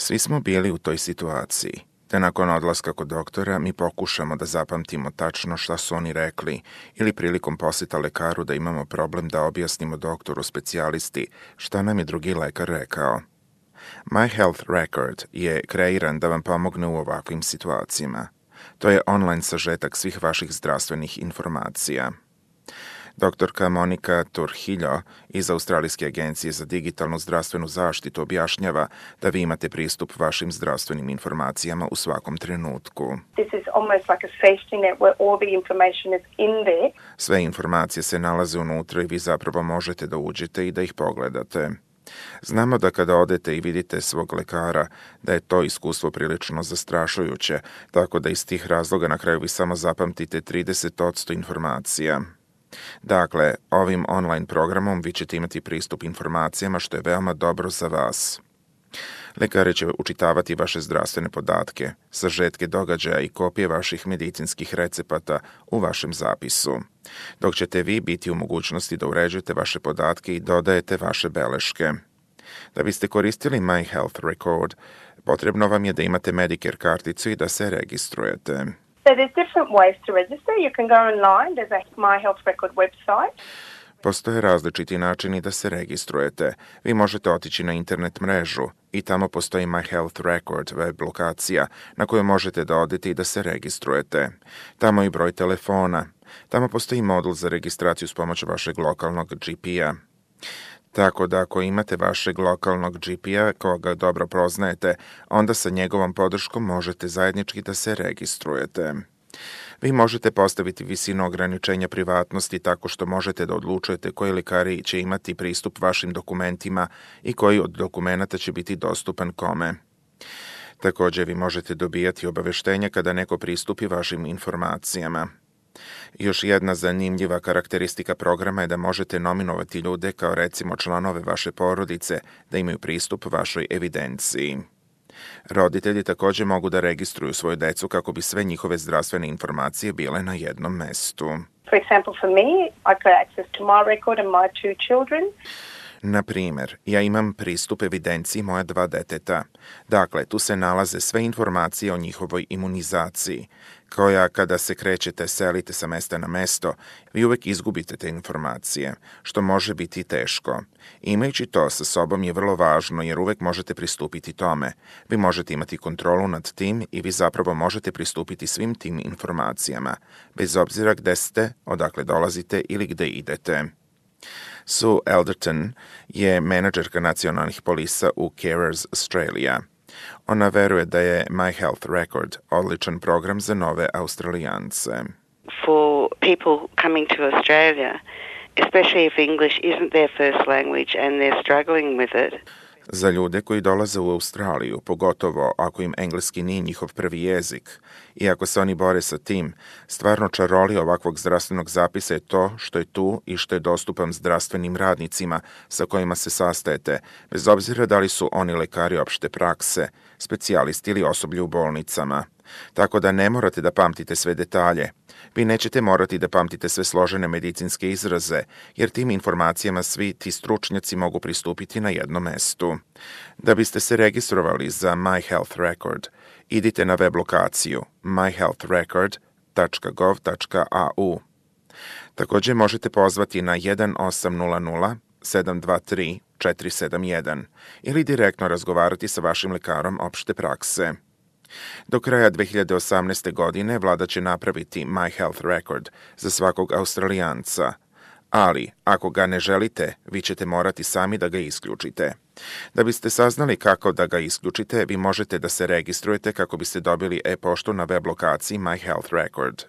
Svi smo bili u toj situaciji, te nakon odlaska kod doktora mi pokušamo da zapamtimo tačno šta su oni rekli ili prilikom poseta lekaru da imamo problem da objasnimo doktoru specijalisti šta nam je drugi lekar rekao. My Health Record je kreiran da vam pomogne u ovakvim situacijama. To je online sažetak svih vaših zdravstvenih informacija. Doktorka Monika Turhiljo iz Australijske agencije za digitalnu zdravstvenu zaštitu objašnjava da vi imate pristup vašim zdravstvenim informacijama u svakom trenutku. Sve informacije se nalaze unutra i vi zapravo možete da uđete i da ih pogledate. Znamo da kada odete i vidite svog lekara, da je to iskustvo prilično zastrašujuće, tako da iz tih razloga na kraju vi samo zapamtite 30% informacija. Dakle, ovim online programom vi ćete imati pristup informacijama što je veoma dobro za vas. Lekari će učitavati vaše zdravstvene podatke, sažetke događaja i kopije vaših medicinskih recepata u vašem zapisu, dok ćete vi biti u mogućnosti da uređujete vaše podatke i dodajete vaše beleške. Da biste koristili My Health Record, potrebno vam je da imate Medicare karticu i da se registrujete. So there's different ways to register. You can go online. There's a My Health Record website. Postoje različiti načini da se registrujete. Vi možete otići na internet mrežu i tamo postoji My Health Record web lokacija na kojoj možete da odete i da se registrujete. Tamo je i broj telefona. Tamo postoji modul za registraciju s pomoću vašeg lokalnog GP-a. Tako da ako imate vašeg lokalnog GP-a koga dobro poznajete, onda sa njegovom podrškom možete zajednički da se registrujete. Vi možete postaviti visinu ograničenja privatnosti tako što možete da odlučujete koji lekari će imati pristup vašim dokumentima i koji od dokumenata će biti dostupan kome. Također vi možete dobijati obaveštenja kada neko pristupi vašim informacijama. Još jedna zanimljiva karakteristika programa je da možete nominovati ljude kao recimo članove vaše porodice da imaju pristup vašoj evidenciji. Roditelji također mogu da registruju svoju decu kako bi sve njihove zdravstvene informacije bile na jednom mestu. For example, for me, I got access to my record and my two children. Na primjer, ja imam pristup evidenciji moja 2 deteta. Dakle, tu se nalaze sve informacije o njihovoj imunizaciji, koja kada se krećete, selite sa mesta na mesto, vi uvek izgubite te informacije, što može biti teško. Imajući to sa sobom je vrlo važno jer uvek možete pristupiti tome. Vi možete imati kontrolu nad tim i vi zapravo možete pristupiti svim tim informacijama, bez obzira gde ste, odakle dolazite ili gde idete. Sue Elderton je menadžerka nacionalnih polisa u Carers Australia. Ona veruje da je My Health Record odličan program za nove Australijance. For people coming to Australia, especially if English isn't their first language and they're struggling with it. Za ljude koji dolaze u Australiju, pogotovo ako im engleski nije njihov prvi jezik, i ako se oni bore sa tim, stvarno čarolija ovakvog zdravstvenog zapisa je to što je tu i što je dostupan zdravstvenim radnicima sa kojima se sastajete, bez obzira da li su oni lekari opšte prakse, specijalisti ili osoblje u bolnicama. Tako da ne morate da pamtite sve detalje. Vi nećete morati da pamtite sve složene medicinske izraze, jer tim informacijama svi ti stručnjaci mogu pristupiti na jednom mestu. Da biste se registrovali za My Health Record, idite na web lokaciju myhealthrecord.gov.au. Također možete pozvati na 1800 723 471 ili direktno razgovarati sa vašim lekarom opšte prakse. Do kraja 2018. godine vlada će napraviti My Health Record za svakog Australijanca, ali ako ga ne želite, vi ćete morati sami da ga isključite. Da biste saznali kako da ga isključite, vi možete da se registrujete kako biste dobili e-poštu na web lokaciji My Health Record.